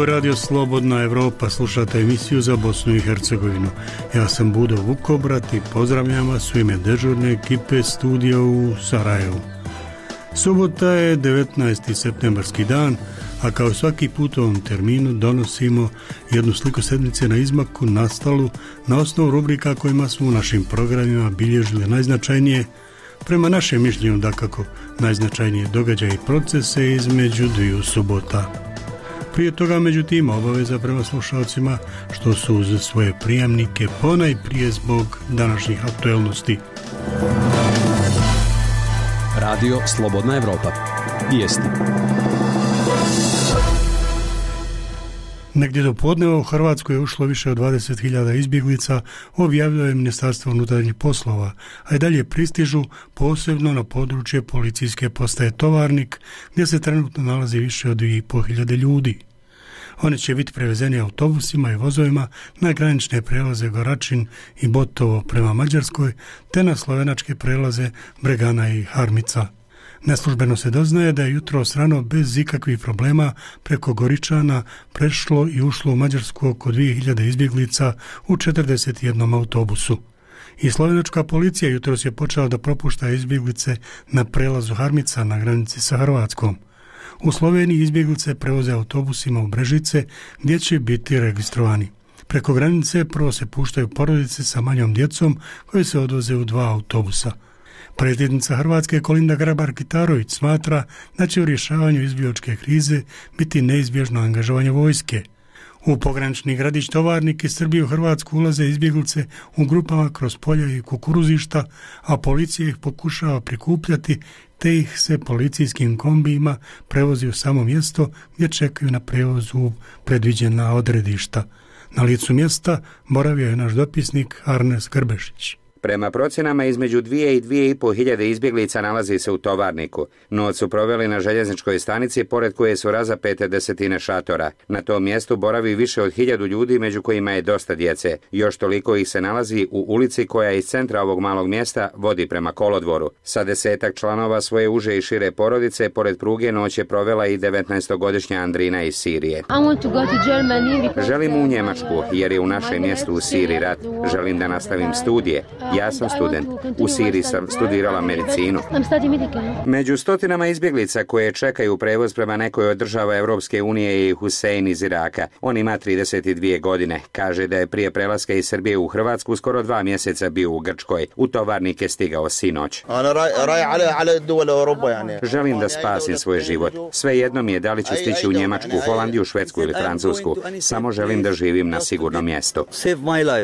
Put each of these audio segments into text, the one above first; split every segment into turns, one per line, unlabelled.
Radio Slobodna Evropa, slušate emisiju za Bosnu i Hercegovinu. Ja sam Budo Vukobrat i pozdravljam vas u ime dežurne ekipe studija u Sarajevu. Subota je 19. septembarski dan, a kao svaki put u ovom terminu donosimo jednu sliku sedmice na izmaku nastalu na osnovu rubrika kojima smo u našim programima bilježili najznačajnije, prema našem mišljenju dakako, najznačajnije događaje i procese između dviju subota. Prije toga, međutim, obaveza prema slušalcima što su uz svoje prijemnike ponajprije zbog današnjih aktuelnosti.
Radio Slobodna Evropa. Vijesti.
Negdje do podneva u Hrvatskoj je ušlo više od 20.000 izbjeglica, objavilo je Ministarstvo unutarnjih poslova, a i dalje pristižu posebno na područje policijske postaje Tovarnik, gdje se trenutno nalazi više od 2.500 ljudi. Oni će biti prevezeni autobusima i vozovima na granične prelaze Goračin i Botovo prema Mađarskoj, te na slovenačke prelaze Bregana i Harmica. Neslužbeno se doznaje da je jutros rano bez ikakvih problema preko Goričana prešlo i ušlo u Mađarsku oko 2.000 izbjeglica u 41 autobusu. I slovenačka policija jutros je počela da propušta izbjeglice na prelazu Harmica na granici sa Hrvatskom. U Sloveniji izbjeglice prevoze autobusima u Brežice gdje će biti registrovani. Preko granice prvo se puštaju porodice sa manjom djecom koje se odvoze u 2 autobusa. Predsjednica Hrvatske Kolinda Grabar-Kitarović smatra da će u rješavanju izbjegličke krize biti neizbježno angažovanje vojske. U pogranični gradić Tovarnik iz Srbije u Hrvatsku ulaze izbjeglice u grupama kroz polja i kukuruzišta, a policija ih pokušava prikupljati te ih se policijskim kombijima prevozi u samo mjesto gdje čekaju na prevoz u predviđena odredišta. Na licu mjesta boravio je naš dopisnik Arnes Grbešić.
Prema procjenama između 2 i 2.5 hiljade izbjeglica nalazi se u Tovarniku. Noć su proveli na željezničkoj stanici, pored koje su razapete desetine šatora. Na tom mjestu boravi više od 1.000 ljudi, među kojima je dosta djece. Još toliko ih se nalazi u ulici koja iz centra ovog malog mjesta vodi prema kolodvoru. Sa 10-ak članova svoje uže i šire porodice, pored pruge noć je provela i 19-godišnja Andrina iz Sirije. Želim u Njemačku, jer je u našem mjestu u Siriji rat. Želim da nastavim studije. Ja sam student. U Siriji sam studirala medicinu. Među stotinama izbjeglica koje čekaju prevoz prema nekoj od država Europske unije je Husein iz Iraka. On ima 32 godine. Kaže da je prije prelaska iz Srbije u Hrvatsku skoro 2 mjeseca bio u Grčkoj. U Tovarnik je stigao sinoć. Želim da spasim svoj život. Svejedno mi je da li ću stići u Njemačku, Holandiju, Švedsku ili Francusku. Samo želim da živim na sigurnom mjestu.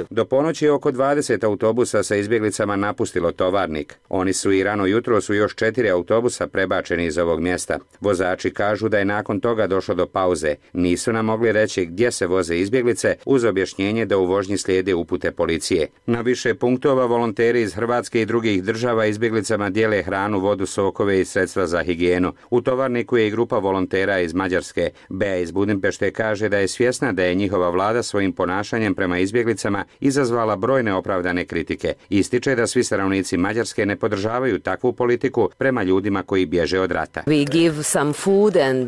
Do ponoći je oko 20 autobusa sa izbjeglicama napustilo Tovarnik. Oni su i rano jutro su još 4 autobusa prebačeni iz ovog mjesta. Vozači kažu da je nakon toga došlo do pauze. Nisu nam mogli reći gdje se voze izbjeglice, uz objašnjenje da u vožnji slijede upute policije. Na više punktova volonteri iz Hrvatske i drugih država izbjeglicama dijele hranu, vodu, sokove i sredstva za higijenu. U Tovarniku je i grupa volontera iz Mađarske. Bea iz Budimpešte kaže da je svjesna da je njihova vlada svojim ponašanjem prema izbjeglicama izazvala brojne opravdane kritike. Ističe da svi stanovnici Mađarske ne podržavaju takvu politiku prema ljudima koji bježe od rata.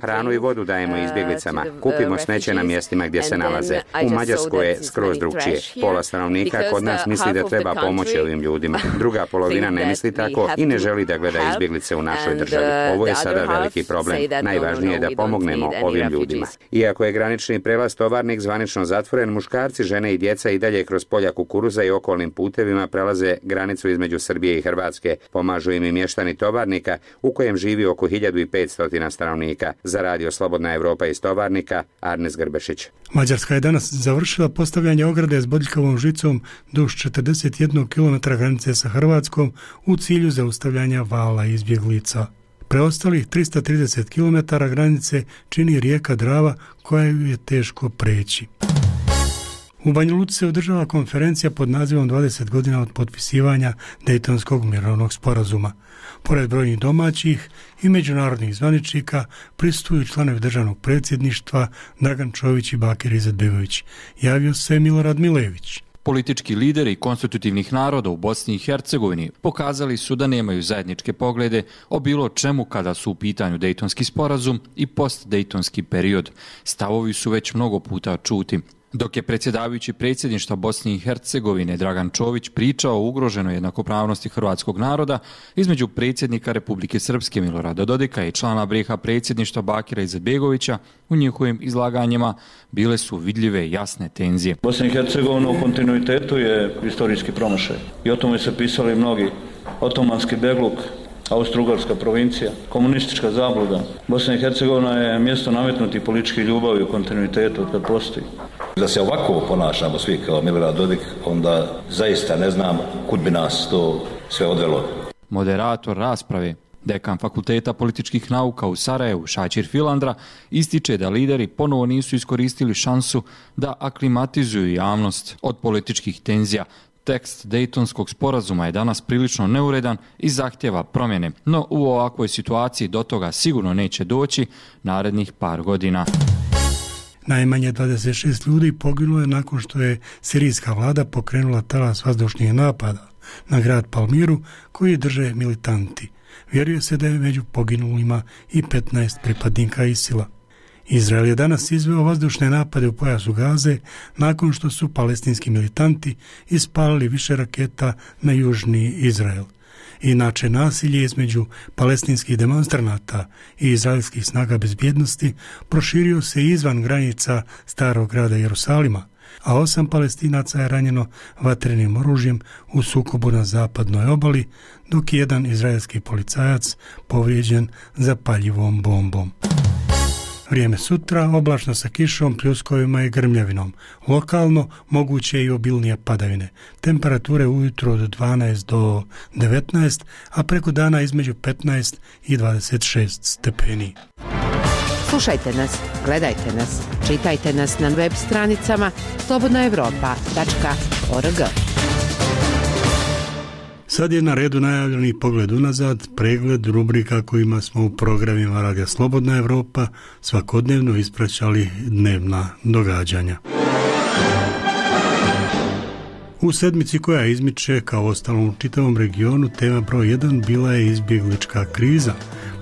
Hranu i vodu dajemo izbjeglicama. Kupimo smeće na mjestima gdje se nalaze. U Mađarskoj je skroz drugčije. Pola stanovnika kod nas misli da treba pomoći ovim ljudima. Druga polovina ne misli tako i ne želi da gleda izbjeglice u našoj državi. Ovo je sada veliki problem. Najvažnije je da pomognemo ovim ljudima. Iako je granični prelaz Tovarnik zvanično zatvoren, muškarci, žene i djeca i dalje kroz polja kukuruza i okolnim putevima prelaze granicu između Srbije i Hrvatske. Pomažu im i mještani Tovarnika, u kojem živi oko 1.500 stanovnika. Za Radio Slobodna Evropa iz Tovarnika, Arnes Grbešić.
Mađarska je danas završila postavljanje ograde s bodljikavom žicom duž 41 km granice sa Hrvatskom u cilju zaustavljanja vala izbjeglica. Preostalih 330 km granice čini rijeka Drava koja je teško preći. U Banja Luci se održava konferencija pod nazivom 20 godina od potpisivanja Dejtonskog mirovnog sporazuma. Pored brojnih domaćih i međunarodnih zvaničnika prisustvuju članovi državnog predsjedništva Dragan Čović i Bakir Izetbegović. Javio se Milorad Milević.
Politički lideri konstitutivnih naroda u Bosni i Hercegovini pokazali su da nemaju zajedničke poglede o bilo čemu kada su u pitanju Dejtonski sporazum i post-dejtonski period. Stavovi su već mnogo puta čuti. Dok je predsjedavajući predsjedništva Bosne i Hercegovine Dragan Čović pričao o ugroženoj jednakopravnosti hrvatskog naroda između predsjednika Republike Srpske Milorada Dodika i člana BiH predsjedništva Bakira Izetbegovića, u njihovim izlaganjima bile su vidljive jasne tenzije.
Bosna i Hercegovina u kontinuitetu je historijski promašaj i o tome se pisali mnogi. Otomanski begluk, Austro-Ugarska provincija, komunistička zabluda. Bosna i Hercegovina je mjesto nametnutih političkih ljubavi u kontinuitetu od kad postoji.
Da se ovako ponašamo svi kao Milorad Dodik, onda zaista ne znam kud bi nas to sve odvelo.
Moderator rasprave, dekan Fakulteta političkih nauka u Sarajevu, Šačir Filandra, ističe da lideri ponovo nisu iskoristili šansu da aklimatizuju javnost od političkih tenzija. Tekst Dejtonskog sporazuma je danas prilično neuredan i zahtjeva promjene, no u ovakvoj situaciji do toga sigurno neće doći narednih par godina.
Najmanje 26 ljudi poginulo je nakon što je sirijska vlada pokrenula talas vazdušnih napada na grad Palmiru koji drže militanti. Vjeruje se da je među poginulima i 15 pripadnika ISIL-a. Izrael je danas izveo vazdušne napade u pojasu Gaze nakon što su palestinski militanti ispalili više raketa na južni Izrael. Inače, nasilje između palestinskih demonstranata i izraelskih snaga bezbjednosti proširio se izvan granica starog grada Jerusalima, a 8 Palestinaca je ranjeno vatrenim oružjem u sukobu na zapadnoj obali, dok je jedan izraelski policajac povrijeđen zapaljivom bombom. Vrijeme sutra oblačno sa kišom, pljuskovima i grmljavinom. Lokalno moguće i obilnije padavine. Temperature ujutro od 12 do 19, a preko dana između 15 i 26 stepeni.
Slušajte nas, gledajte nas, čitajte nas na web stranicama slobodnaevropa.org.
Sad je na redu najavljeni pogled unazad, pregled rubrika kojima smo u programima Radija Slobodna Evropa svakodnevno ispraćali dnevna događanja. U sedmici koja izmiče, kao ostalom u čitavom regionu, tema broj 1 bila je izbjeglička kriza,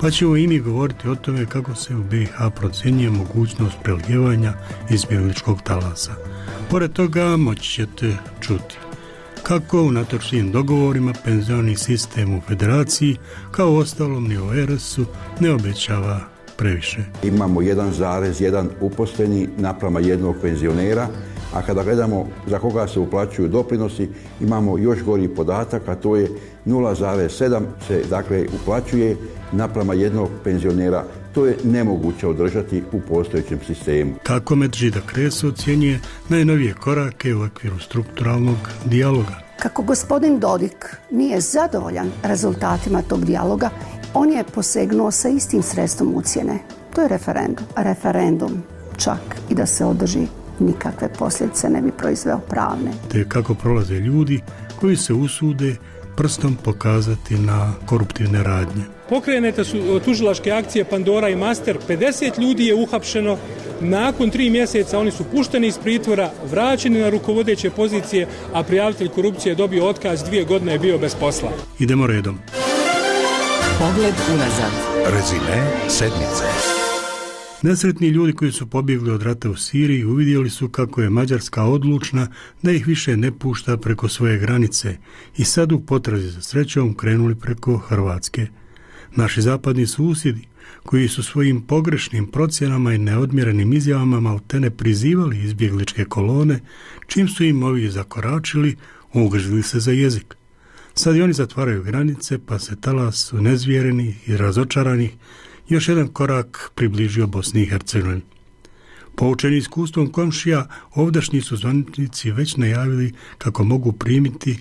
pa ćemo i mi govoriti o tome kako se u BiH procjenjuje mogućnost prelijevanja izbjegličkog talasa. Pored toga moći ćete čuti kako unatoč svim dogovorima penzioni sistem u federaciji, kao ostalom ni u RS-u, ne obećava previše.
Imamo 1,1 uposleni naprama jednog penzionera, a kada gledamo za koga se uplaćuju doprinosi, imamo još gori podatak, a to je 0,7 se dakle uplaćuje naprama jednog penzionera. To je nemoguće održati u postojećem sistemu.
Kako Medžida Kreso ocjenjuje najnovije korake u okviru strukturalnog dijaloga.
Kako gospodin Dodik nije zadovoljan rezultatima tog dijaloga, on je posegnuo sa istim sredstvom ucjene. To je referendum. Referendum čak i da se održi nikakve posljedice ne bi proizveo pravne.
Te kako prolaze ljudi koji se usude prstom pokazati na koruptivne radnje.
Pokrenete su tužilačke akcije Pandora i Master, 50 ljudi je uhapšeno, nakon 3 mjeseca oni su pušteni iz pritvora, vraćeni na rukovodeće pozicije, a prijavitelj korupcije je dobio otkaz, 2 godine je bio bez posla.
Idemo redom.
Pogled unazad.
Rezime sedmice.
Nesretni ljudi koji su pobjegli od rata u Siriji uvidjeli su kako je Mađarska odlučna da ih više ne pušta preko svoje granice i sad u potrazi za srećom krenuli preko Hrvatske. Naši zapadni susjedi, koji su svojim pogrešnim procjenama i neodmjerenim izjavama maltene prizivali izbjegličke kolone, čim su im ovi zakoračili, ugrzili se za jezik. Sad i oni zatvaraju granice, pa se talas unezvjerenih i razočaranih još jedan korak približio Bosni i Hercegovini. Poučeni iskustvom komšija, ovdašnji su zvaničnici već najavili kako mogu primiti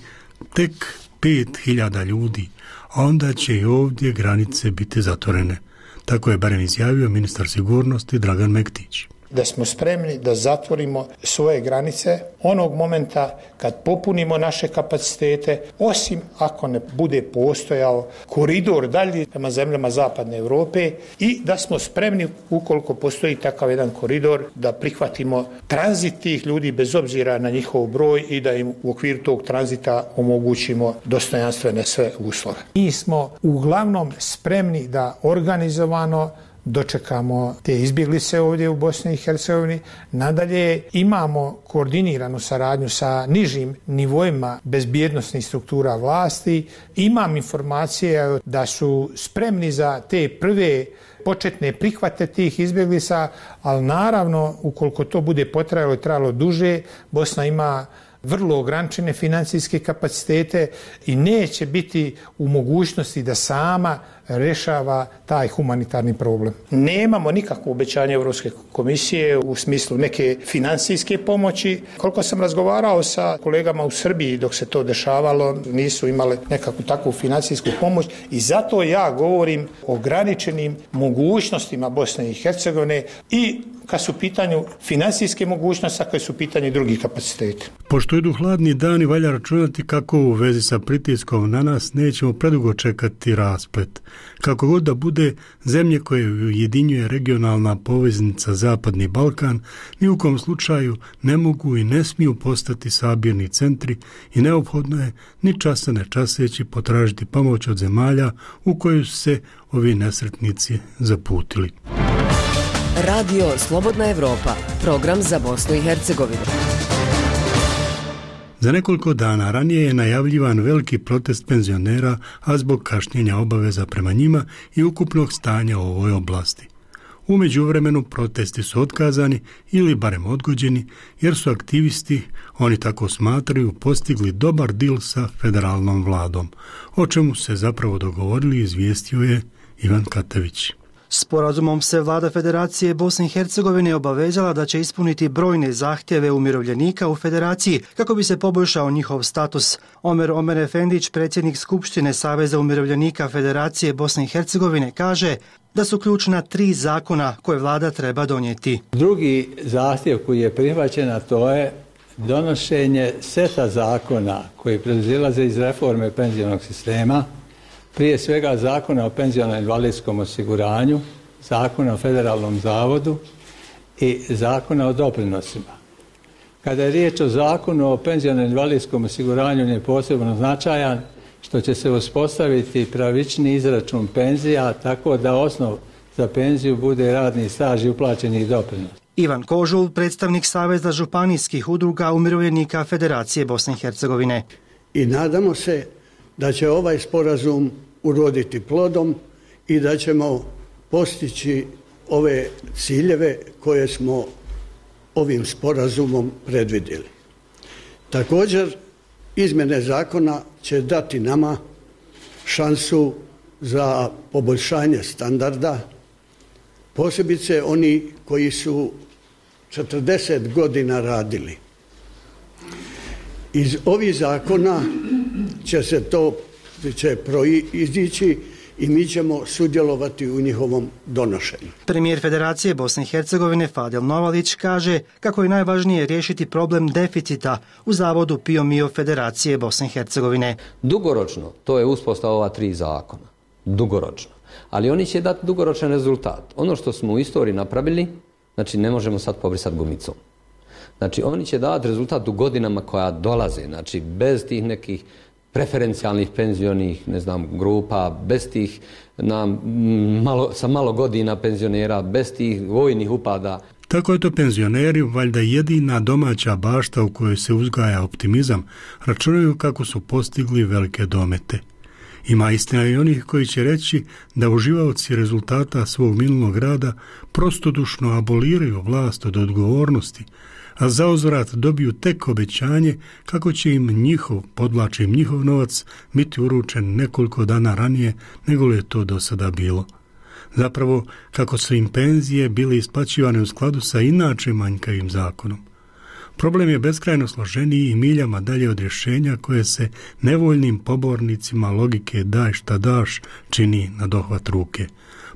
tek 5.000 ljudi, a onda će i ovdje granice biti zatvorene. Tako je barem izjavio ministar sigurnosti Dragan Mektić.
da smo spremni da zatvorimo svoje granice onog momenta kad popunimo naše kapacitete, osim ako ne bude postojao koridor dalje prema zemljama zapadne Europe i da smo spremni, ukoliko postoji takav jedan koridor, da prihvatimo tranzit tih ljudi bez obzira na njihov broj i da im u okviru tog tranzita omogućimo dostojanstvene sve uslove. Mi smo uglavnom spremni da organizovano dočekamo te izbjeglice ovdje u Bosni i Hercegovini. Nadalje imamo koordiniranu saradnju sa nižim nivoima bezbjednosnih struktura vlasti. Imam informacije da su spremni za te prve početne prihvate tih izbjeglica, ali naravno ukoliko to bude potrajalo i trajalo duže, Bosna ima vrlo ograničene financijske kapacitete i neće biti u mogućnosti da sama rješava taj humanitarni problem. Nemamo nikakvo obećanje Europske komisije u smislu neke financijske pomoći. Koliko sam razgovarao sa kolegama u Srbiji dok se to dešavalo, nisu imale nekakvu takvu financijsku pomoć i zato ja govorim o ograničenim mogućnostima Bosne i Hercegovine i kad su u pitanju financijske mogućnosti, a kad su u pitanju drugih kapaciteta.
Pošto idu hladni dani, valja računati kako u vezi sa pritiskom na nas nećemo predugo čekati rasplet. Kako god da bude, zemlje koje ujedinjuje regionalna poveznica Zapadni Balkan ni u kom slučaju ne mogu i ne smiju postati sabirni centri i neophodno je ni časa ne časeći potražiti pomoć od zemalja u koju su se ovi nesretnici zaputili.
Radio Slobodna Evropa, program za Bosnu i Hercegovinu.
Za nekoliko dana ranije je najavljivan veliki protest penzionera, a zbog kašnjenja obaveza prema njima i ukupnog stanja u ovoj oblasti. U međuvremenu protesti su otkazani ili barem odgođeni, jer su aktivisti, oni tako smatraju, postigli dobar dil sa federalnom vladom. O čemu se zapravo dogovorili, izvijestio je Ivan Katević.
Sporazumom se vlada Federacije Bosne i Hercegovine obavezala da će ispuniti brojne zahtjeve umirovljenika u Federaciji kako bi se poboljšao njihov status. Omer Efendić, predsjednik Skupštine Saveza umirovljenika Federacije Bosne i Hercegovine, kaže da su ključna 3 zakona koje vlada treba donijeti.
Drugi zahtjev koji je prihvaćen, a to je donošenje seta zakona koji proizilaze iz reforme penzionog sistema, prije svega Zakona o penzionom invalidskom osiguranju, Zakona o federalnom zavodu i Zakona o doprinosima. Kada je riječ o Zakonu o penzionom invalidskom osiguranju, on je posebno značajan što će se uspostaviti pravični izračun penzija tako da osnov za penziju bude radni staž i uplaćeni doprinos.
Ivan Kožul, predstavnik Saveza županijskih udruga umirovljenika Federacije Bosne i Hercegovine.
I nadamo se da će ovaj sporazum uroditi plodom i da ćemo postići ove ciljeve koje smo ovim sporazumom predvidjeli. Također, izmjene zakona će dati nama šansu za poboljšanje standarda, posebice oni koji su 40 godina radili. Iz ovih zakona će proizići i mi ćemo sudjelovati u njihovom donošenju.
Premijer Federacije Bosne i Hercegovine Fadil Novalić kaže kako je najvažnije riješiti problem deficita u Zavodu PIO MIO Federacije Bosne i Hercegovine.
Dugoročno, to je uspostava ova 3 zakona. Dugoročno. Ali oni će dati dugoročan rezultat. Ono što smo u istoriji napravili, znači ne možemo sad pobrisati gumicom. Znači oni će dati rezultat u godinama koja dolaze, znači bez tih nekih preferencijalnih penzionih, grupa, bez tih sa malo godina penzionera, bez tih vojnih upada.
Tako je to penzioneri, valjda jedina domaća bašta u kojoj se uzgaja optimizam, računaju kako su postigli velike domete. Ima istina i onih koji će reći da uživaoci rezultata svog minulog rada prostodušno aboliraju vlast od odgovornosti, a zauzvrat dobiju tek obećanje kako će im njihov novac biti uručen nekoliko dana ranije nego li je to do sada bilo. Zapravo, kako su im penzije bile isplaćivane u skladu sa inače manjkavim zakonom. Problem je beskrajno složeniji i miljama dalje od rješenja koje se nevoljnim pobornicima logike daj šta daš čini na dohvat ruke.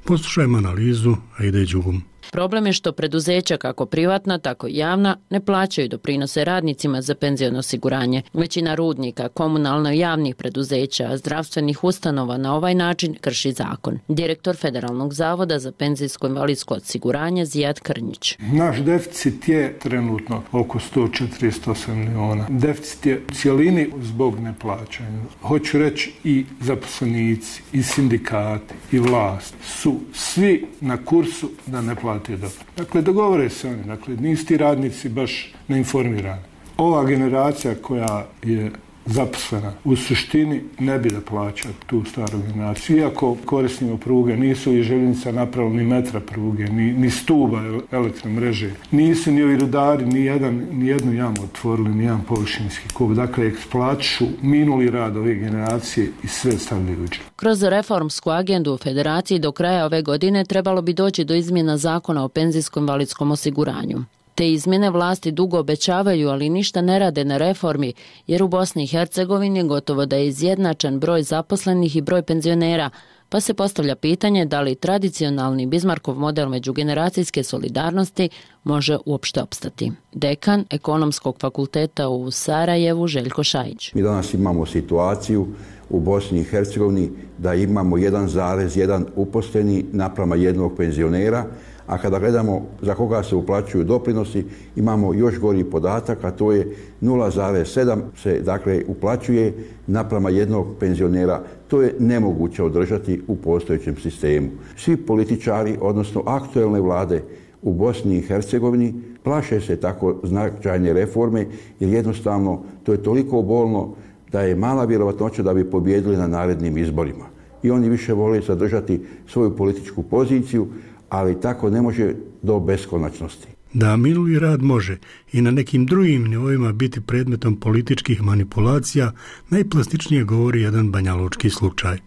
Poslušajmo analizu Aide Đugum.
Problem je što preduzeća kako privatna, tako i javna ne plaćaju doprinose radnicima za penziono osiguranje. Većina rudnika, komunalno javnih preduzeća, zdravstvenih ustanova na ovaj način krši zakon. Direktor Federalnog zavoda za penzijsko invalidsko osiguranje Zijad Krnjić.
Naš deficit je trenutno oko 148 miliona. Deficit je u cijelini zbog neplaćanja. Hoću reći i zaposlenici, i sindikati, i vlast su svi na kursu da ne plate dobro. Dakle, dogovore se oni. Dakle, nisu ti radnici baš neinformirani. Ova generacija koja je zaposlena u suštini ne bi da plaća tu staru generaciju. Iako korisnimo pruge, nisu i željeznica napravili ni metra pruge, ni stuba elektromreže. Nisu ni ovi rudari ni jednu jamu otvorili, ni jedan površinski kup. Dakle, eksploatišu minuli rad ove generacije i sve stavljaju u džep.
Kroz reformsku agendu u Federaciji do kraja ove godine trebalo bi doći do izmjena zakona o penzijskom invalidskom osiguranju. Te izmjene vlasti dugo obećavaju, ali ništa ne rade na reformi, jer u Bosni i Hercegovini gotovo da je izjednačen broj zaposlenih i broj penzionera, pa se postavlja pitanje da li tradicionalni Bismarckov model međugeneracijske solidarnosti može uopšte opstati. Dekan Ekonomskog fakulteta u Sarajevu Željko Šajić.
Mi danas imamo situaciju u Bosni i Hercegovini da imamo 1,1 uposleni naprama jednog penzionera, a kada gledamo za koga se uplaćuju doprinosi, imamo još gori podatak, a to je 0,7 se dakle uplaćuje naprama jednog penzionera. To je nemoguće održati u postojećem sistemu. Svi političari, odnosno aktuelne vlade u Bosni i Hercegovini, plaše se tako značajne reforme, jer jednostavno to je toliko bolno da je mala vjerovatnoća da bi pobijedili na narednim izborima. I oni više vole zadržati svoju političku poziciju, ali tako ne može do beskonačnosti.
Da minuli rad može i na nekim drugim nivoima biti predmetom političkih manipulacija, najplastičnije govori jedan banjalučki slučaj.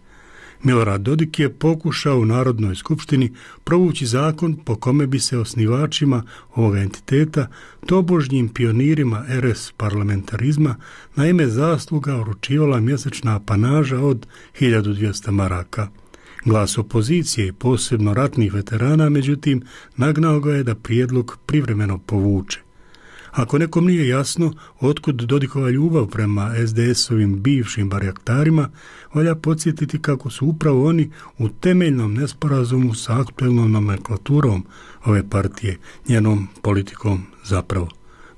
Milorad Dodik je pokušao u Narodnoj skupštini provući zakon po kome bi se osnivačima ovoga entiteta, tobožnjim pionirima RS parlamentarizma, na ime zasluga uručivala mjesečna apanaža od 1200 maraka. Glas opozicije i posebno ratnih veterana, međutim, nagnao ga je da prijedlog privremeno povuče. Ako nekom nije jasno otkud Dodikova ljubav prema SDS-ovim bivšim barjaktarima, valja podsjetiti kako su upravo oni u temeljnom nesporazumu sa aktuelnom nomenklaturom ove partije, njenom politikom zapravo.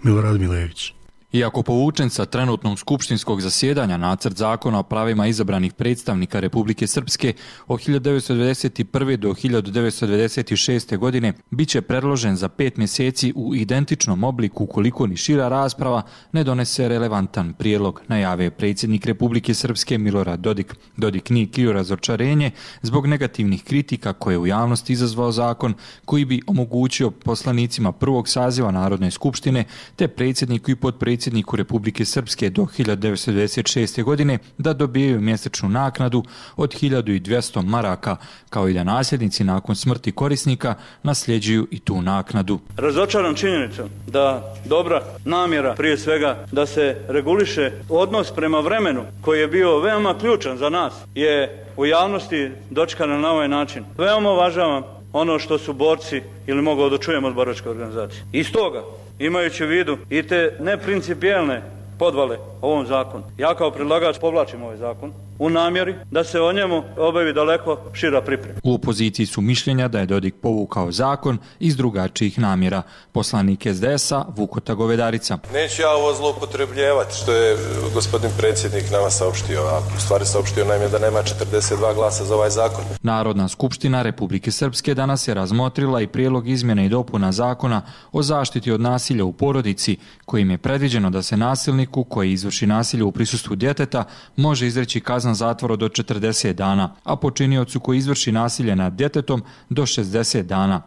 Milorad Milević.
Iako povučen sa trenutnog skupštinskog zasjedanja nacrt zakona o pravima izabranih predstavnika Republike Srpske od 1991. do 1996. godine bit će predložen za 5 mjeseci u identičnom obliku ukoliko ni šira rasprava ne donese relevantan prijedlog, najavio predsjednik Republike Srpske Milorad Dodik. Dodik nije krio razočarenje zbog negativnih kritika koje je u javnosti izazvao zakon koji bi omogućio poslanicima prvog saziva Narodne skupštine te predsjedniku i potpredsjedniku Republike Srpske do 1996. godine da dobijaju mjesečnu naknadu od 1200 maraka, kao i da nasljednici nakon smrti korisnika nasljeđuju i tu naknadu.
Razočaran činjenicom da dobra namjera, prije svega da se reguliše odnos prema vremenu koji je bio veoma ključan za nas, je u javnosti dočekana na ovaj način. Veoma uvažavam ono što su borci, ili mogu da čujemo od boračke organizacije. I stoga, imajući u vidu i te neprincipijelne podvale ovom zakonu, ja kao predlagač povlačim ovaj zakon u namjeri da se o njemu obavi daleko šira priprema.
U opoziciji su mišljenja da je Dodik povukao zakon iz drugačijih namjera. Poslanik SDS-a Vukota Govedarica.
Neću ja ovo zloupotrebljavati što je gospodin predsjednik nama saopštio, a u stvari saopštio nam je da nema 42 glasa za ovaj zakon.
Narodna skupština Republike Srpske danas je razmotrila i prijedlog izmjene i dopuna zakona o zaštiti od nasilja u porodici, kojim je predviđeno da se nasilniku koji izvrši nasilje u prisustvu djeteta može izreći kazna zatvora do 40 dana, a počiniocu koji izvrši nasilje nad djetetom do 60 dana.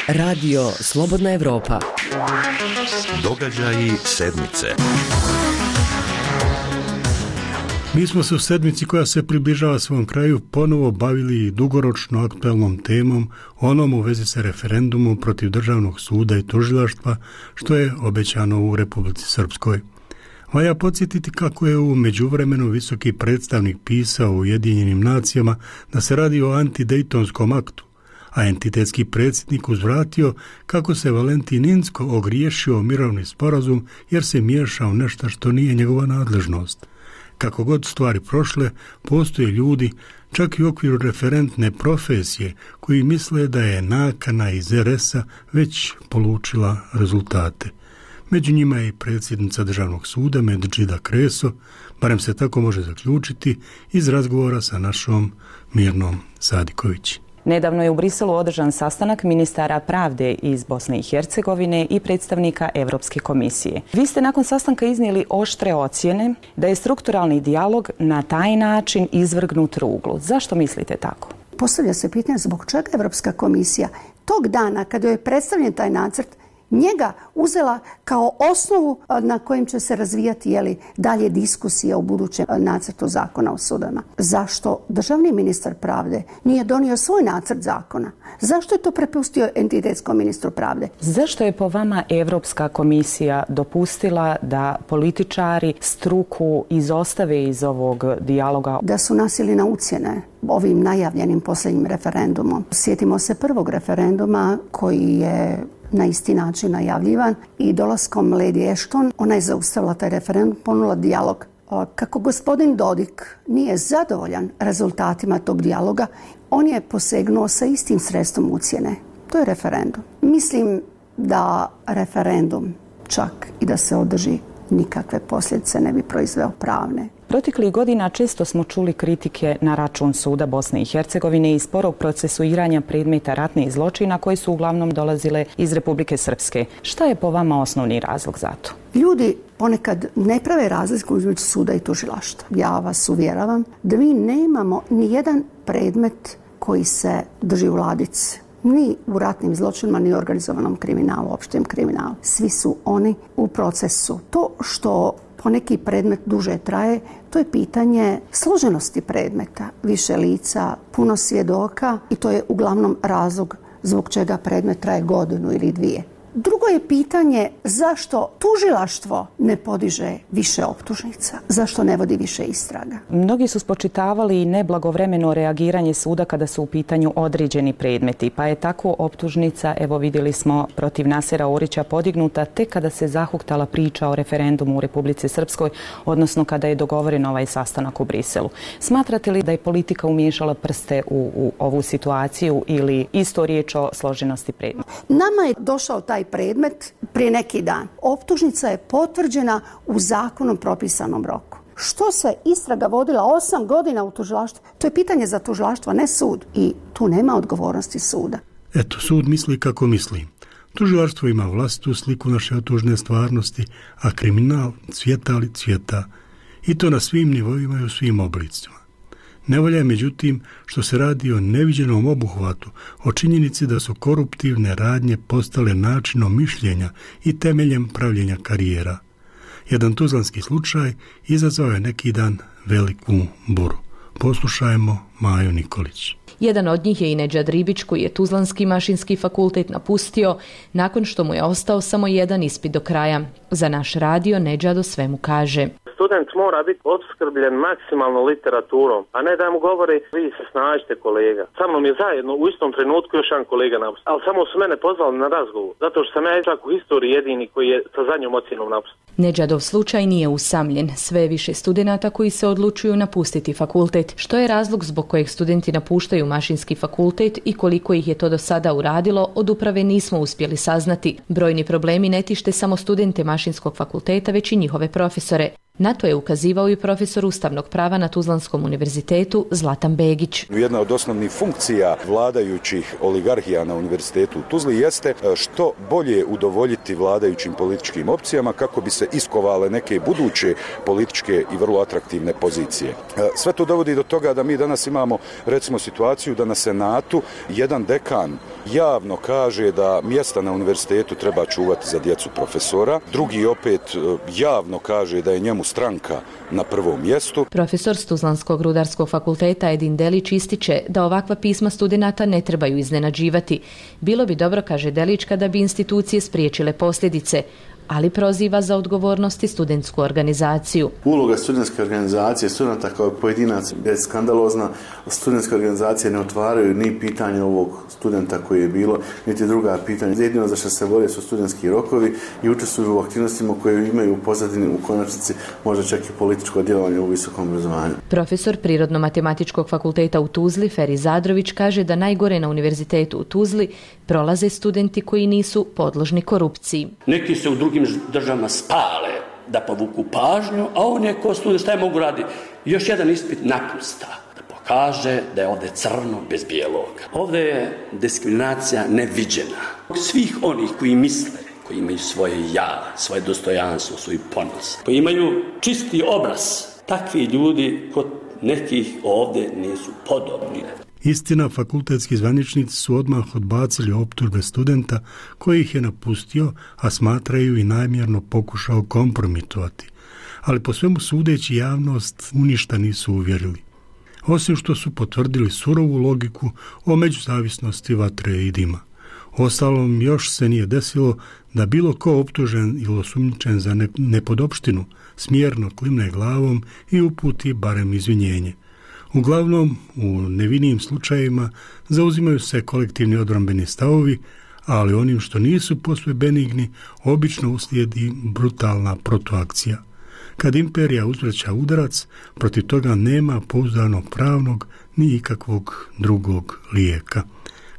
Radio Slobodna Evropa.
Događaji sedmice.
Mi smo se u sedmici koja se približava svom kraju ponovo bavili dugoročno aktualnom temom, onom u vezi sa referendumom protiv državnog suda i tužilaštva, što je obećano u Republici Srpskoj. Valja podsjetiti kako je u međuvremenu visoki predstavnik pisao u Ujedinjenim nacijama da se radi o antidejtonskom aktu, a entitetski predsjednik uzvratio kako se Valentin Inzko ogriješio o mirovni sporazum jer se miješao nešto što nije njegova nadležnost. Kako god stvari prošle, postoje ljudi, čak i u okviru referentne profesije, koji misle da je nakana iz RS-a već polučila rezultate. Među njima je i predsjednica Državnog suda Medžida Kreso, barem se tako može zaključiti iz razgovora sa našom Mirnom Sadiković.
Nedavno je u Briselu održan sastanak ministara pravde iz Bosne i Hercegovine i predstavnika Europske komisije. Vi ste nakon sastanka iznijeli oštre ocjene da je strukturalni dijalog na taj način izvrgnut ruglu. Zašto mislite tako?
Postavlja se pitanje zbog čega Europska komisija tog dana kada je predstavljen taj nacrt njega uzela kao osnovu na kojim će se razvijati dalje diskusija u budućem nacrtu zakona o sudovima. Zašto državni ministar pravde nije donio svoj nacrt zakona? Zašto je to prepustio entitetskom ministru pravde?
Zašto je po vama Europska komisija dopustila da političari struku izostave iz ovog dijaloga?
Da su nasili na ucjene ovim najavljenim posljednjim referendumom. Sjetimo se prvog referenduma koji je na isti način najavljivan i dolaskom Lady Ashton ona je zaustavila taj referendum, ponula dijalog. Kako gospodin Dodik nije zadovoljan rezultatima tog dijaloga, on je posegnuo sa istim sredstvom ucjene. To je referendum. Mislim da referendum, čak i da se održi, nikakve posljedice ne bi proizveo pravne.
Proteklih godina često smo čuli kritike na račun suda Bosne i Hercegovine i sporog procesuiranja predmeta ratnih zločina koji su uglavnom dolazile iz Republike Srpske. Šta je po vama osnovni razlog za to?
Ljudi ponekad ne prave razliku između suda i tužilaštva. Ja vas uvjeravam da mi nemamo ni jedan predmet koji se drži u ladici. Ni u ratnim zločinima, ni u organizovanom kriminalu, opštem kriminalu. Svi su oni u procesu. To što poneki predmet duže traje, to je pitanje složenosti predmeta. Više lica, puno svjedoka i to je uglavnom razlog zbog čega predmet traje godinu ili dvije. Drugo je pitanje zašto tužilaštvo ne podiže više optužnica, zašto ne vodi više istraga.
Mnogi su spočitavali neblagovremeno reagiranje suda kada su u pitanju određeni predmeti, pa je tako optužnica, evo vidjeli smo, protiv Nasera Orića podignuta tek kada se zahuktala priča o referendumu u Republici Srpskoj, odnosno kada je dogovoren ovaj sastanak u Briselu. Smatrate li da je politika umiješala prste u ovu situaciju ili isto riječ o složenosti predmeta?
Nama je došao taj predmet prije neki dan. Optužnica je potvrđena u zakonom propisanom roku. Što se istraga vodila 8 godina u tužilaštvu? To je pitanje za tužilaštvo, ne sud. I tu nema odgovornosti suda.
Eto, sud misli kako misli. Tužilaštvo ima vlastitu sliku naše otužne stvarnosti, a kriminal cvjeta li cvjeta. I to na svim nivoima i u svim oblicima. Nevolja je međutim što se radi o neviđenom obuhvatu, o činjenici da su koruptivne radnje postale načinom mišljenja i temeljem pravljenja karijera. Jedan tuzlanski slučaj izazvao je neki dan veliku buru. Poslušajmo Maju Nikolić.
Jedan od njih je i Nedžad Ribić koji je Tuzlanski mašinski fakultet napustio nakon što mu je ostao samo jedan ispit do kraja. Za naš radio Nedžad o svemu kaže.
Student mora biti opskrbljen maksimalno literaturom, a ne da mu govori vi se snađite kolega. Sa mnom je zajedno u istom trenutku još jedan kolega napustio. Ali samo su mene pozvali na razgovor, zato što sam ja ipak u historiji jedini koji je sa zadnjom ocjenom napustio.
Nedžadov slučaj nije usamljen. Sve je više studenata koji se odlučuju napustiti fakultet. Što je razlog zbog kojeg studenti napuštaju mašinski fakultet i koliko ih je to do sada uradilo, od uprave nismo uspjeli saznati. Brojni problemi ne tište samo studente mašinskog fakulteta, već i njihove profesore. Na to je ukazivao i profesor ustavnog prava na Tuzlanskom univerzitetu Zlatan Begić.
Jedna od osnovnih funkcija vladajućih oligarhija na univerzitetu u Tuzli jeste što bolje udovoljiti vladajućim političkim opcijama kako bi se iskovale neke buduće političke i vrlo atraktivne pozicije. Sve to dovodi do toga da mi danas imamo recimo situaciju da na Senatu jedan dekan javno kaže da mjesta na univerzitetu treba čuvati za djecu profesora, drugi opet javno kaže da je njemu stranka na prvom mjestu.
Profesor s Tuzlanskog rudarskog fakulteta Edin Delić ističe da ovakva pisma studenata ne trebaju iznenađivati. Bilo bi dobro, kaže Delić, kada bi institucije spriječile posljedice, ali proziva za odgovornosti studentsku organizaciju.
Uloga studentske organizacije, studenta kao pojedinac je skandalozna. Studentske organizacije ne otvaraju ni pitanje ovog studenta koji je bilo, niti druga pitanja. Jedino za što se bore su studentski rokovi i učestvuju u aktivnostima koje imaju u pozadini u konačnici možda čak i političko djelovanje u visokom obrazovanju.
Profesor Prirodno-matematičkog fakulteta u Tuzli, Feri Zadrović, kaže da najgore na univerzitetu u Tuzli prolaze studenti koji nisu podložni korupciji.
Neki se u drugim državama spale da povuku pažnju, a on je ko student, šta je mogu raditi? Još jedan ispit napusta, da pokaže da je ovdje crno bez bijeloga. Ovdje je diskriminacija neviđena. Svih onih koji misle, koji imaju svoje ja, svoje dostojanstvo, svoj ponos, koji imaju čisti obraz, takvi ljudi kod nekih ovdje nisu podobni.
Istina, fakultetski zvaničnici su odmah odbacili optužbe studenta koji ih je napustio, a smatraju i namjerno pokušao kompromitovati. Ali po svemu sudeći javnost u ništa nisu uvjerili. Osim što su potvrdili surovu logiku o međuzavisnosti vatre i dima. Ostalom, još se nije desilo da bilo ko optužen ili osumnjičen za nepodopštinu smjerno klimne glavom i uputi barem izvinjenje. Uglavnom, u nevinim slučajevima zauzimaju se kolektivni odbrambeni stavovi, ali onim što nisu posve benigni, obično uslijedi brutalna protuakcija. Kad imperija uzvraća udarac, protiv toga nema pouzdanog pravnog ni ikakvog drugog lijeka.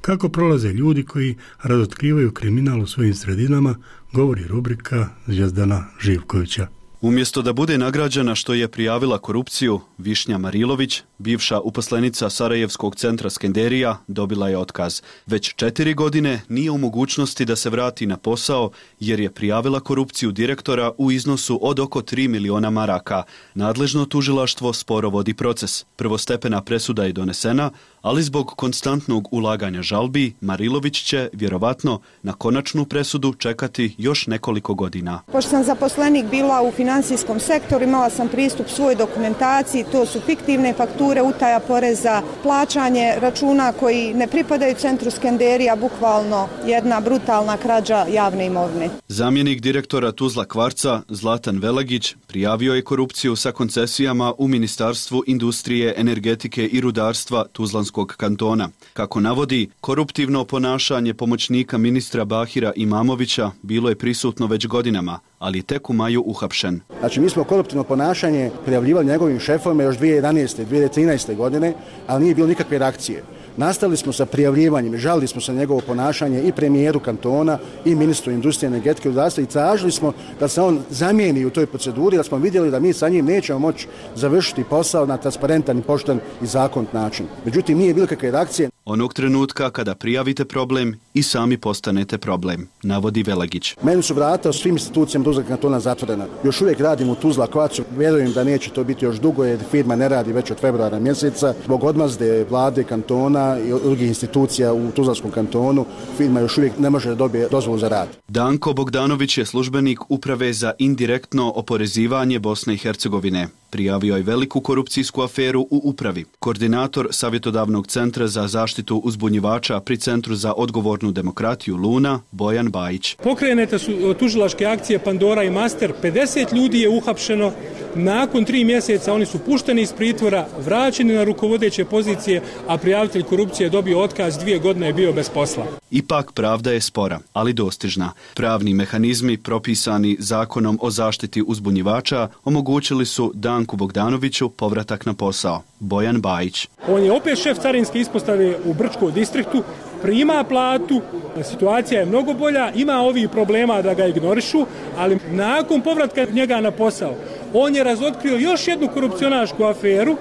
Kako prolaze ljudi koji razotkrivaju kriminal u svojim sredinama, govori rubrika Zvijezdana Živkovića.
Umjesto da bude nagrađena što je prijavila korupciju, Višnja Marilović, bivša uposlenica Sarajevskog centra Skenderija, dobila je otkaz. Već 4 godine nije u mogućnosti da se vrati na posao jer je prijavila korupciju direktora u iznosu od oko 3 miliona maraka. Nadležno tužilaštvo sporo vodi proces. Prvostepena presuda je donesena, ali zbog konstantnog ulaganja žalbi, Marilović će, vjerovatno, na konačnu presudu čekati još nekoliko godina.
Pošto sam zaposlenik bila u financijskom sektoru, imala sam pristup svoj dokumentaciji, to su fiktivne fakture, utaja poreza, plaćanje računa koji ne pripadaju centru Skenderija, bukvalno jedna brutalna krađa javne imovine.
Zamjenik direktora Tuzla Kvarca, Zlatan Velagić, prijavio je korupciju sa koncesijama u Ministarstvu industrije, energetike i rudarstva Tuzlanskog kantona. Kako navodi, koruptivno ponašanje pomoćnika ministra Bahira Imamovića bilo je prisutno već godinama, ali tek u maju uhapšen.
Znači, mi smo koruptivno ponašanje prijavljivali njegovim šefovima još 2011. 2013. godine, ali nije bilo nikakve reakcije. Nastavili smo sa prijavljivanjem, žalili smo se na njegovo ponašanje i premijeru kantona i ministru industrije, energetike i rudarstva i tražili smo da se on zamijeni u toj proceduri, da smo vidjeli da mi sa njim nećemo moći završiti posao na transparentan i pošten i zakonit način. Međutim, nije bilo kakve reakcije.
Onog trenutka kada prijavite problem i sami postanete problem, navodi Velagić.
Meni su vrata u svim institucijama Tuzla kantona zatvorena. Još uvijek radim u Tuzla Kvarcu, vjerujem da neće to biti još dugo jer firma ne radi već od februara mjeseca. Zbog odmazde vlade kantona i drugih institucija u Tuzlanskom kantonu, firma još uvijek ne može da dobije dozvolu za rad.
Danko Bogdanović je službenik Uprave za indirektno oporezivanje Bosne i Hercegovine. Prijavio je veliku korupcijsku aferu u upravi. Koordinator Savjetodavnog centra za zaštitu uzbunjivača pri Centru za odgovornu demokratiju Luna, Bojan Bajić.
Pokrenete su tužilačke akcije Pandora i Master, 50 ljudi je uhapšeno, nakon 3 mjeseca oni su pušteni iz pritvora, vraćeni na rukovodeće pozicije, a prijavitelj korupcije je dobio otkaz, 2 godine je bio bez posla.
Ipak pravda je spora, ali dostižna. Pravni mehanizmi propisani Zakonom o zaštiti uzbunjivača omogućili su Danku Bogdanoviću povratak na posao. Bojan Bajić.
On je opet šef carinske ispostave u Brčkom distriktu, prima platu, situacija je mnogo bolja, ima ovih problema da ga ignorišu, ali nakon povratka njega na posao, on je razotkrio još jednu korupcionašku aferu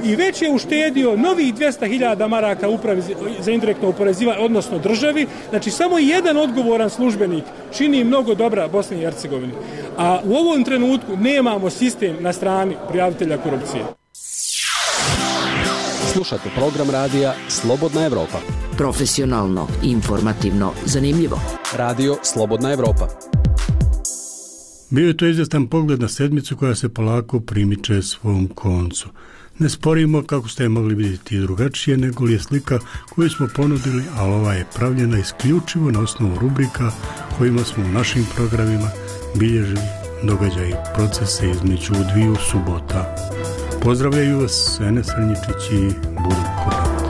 i već je uštedio novih 200.000 maraka upravi za indirektno oporezivanje, odnosno državi. Znači, samo jedan odgovoran službenik čini mnogo dobra Bosni i Hercegovini. A u ovom trenutku nemamo sistem na strani prijavitelja korupcije.
Slušate program radija Slobodna Evropa.
Profesionalno, informativno, zanimljivo.
Radio Slobodna Evropa.
Bio je to izvjestan pogled na sedmicu koja se polako primiče svom koncu. Ne sporimo kako ste je mogli vidjeti drugačije, nego li je slika koju smo ponudili, ali ova je pravljena isključivo na osnovu rubrika kojima smo u našim programima bilježili događaje i procese između dviju subota. Pozdravljaju vas Ene Srnjičić i Budu Kodravac.